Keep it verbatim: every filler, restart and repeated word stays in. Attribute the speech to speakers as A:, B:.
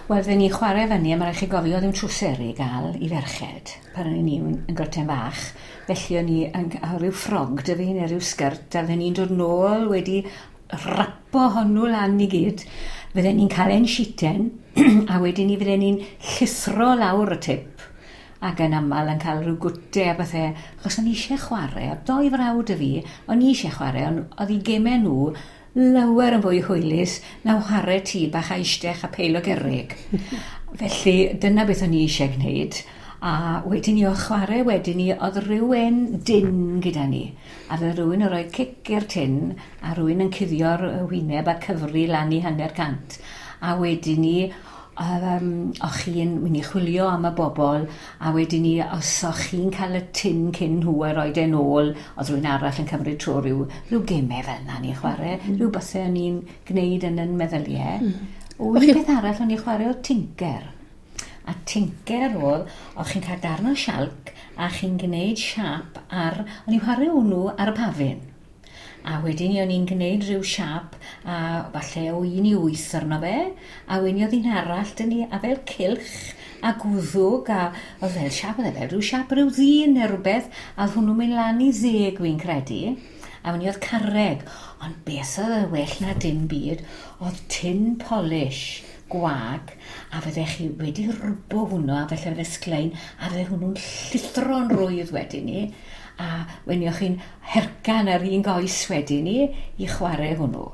A: Wel, fydden ni'n chwarae fyny, a mae rhaid chi gofio ddim trwseri i gael i ferched pan o'n i'n yn groten fach. Felly o'n i yn cael rhyw ffrog 'da fi neu rhyw sgert, a fydden ni'n dod nôl wedi rapo hwnnw lan i gyd. Fydden ni'n cael ein sheeten, a wedyn ni fydden ni'n llithro lawr y tip ac yn aml yn cael rhyw gwte a bethau, achos o'n i eisiau chwarae, a doi frawd y fi, o'n i eisiau chwarae, ond oedd eu gemau nhw lawer yn fwy hwylus na chwarae tŷ bach a eistedd a peil o gerrig. Felly dyna beth o'n i eisiau gwneud. A wedyn ni o chwarae wedyn ni, oedd rhywun dyn gyda ni. A fydde rhywun yn rhoi cic i'r tin a rhywun yn cuddio'r wyneb a cyfri lan i hanner cant. A wedyn ni, um, o'ch chi'n mynd i chwilio am y bobl, a wedyn ni, os o'ch chi'n cael y tin cyn nhw a rhoi e'n ôl, oedd rhywun arall yn cymryd tro rhyw, rhyw gemau fel yna ni'n chwarae, mm. rhyw bethau o'n i'n gwneud yn yn meddyliau. Mm. O, un peth arall o'n i'n chwarae oedd tinker. A tinker oedd, o'ch chi'n cael darn o sialc a chi'n gwneud siap ar, o'n i'n chwarae hwnnw ar y pafin. A wedyn ni o'n i'n gwneud rhyw siap a falle o un i wyth arno fe, a wedyn oedd un arall dyn ni, a fel cylch a gwddwg, a oedd fel siap, oedd e fel rhyw siap rhyw ddyn neu rhywbeth, a oedd hwnnw'n mynd lan i ddeg fi'n credu, a wedyn oedd carreg, ond beth oedd y well na dim byd, oedd tin polish gwag, a fyddech chi wedi rwbo hwnnw, a felly fydde sglein, a fydde hwnnw'n llithro'n rwydd wedyn ni, a wedyn o'ch chi'n hercan ar un goes wedyn ni i chwarae hwnnw.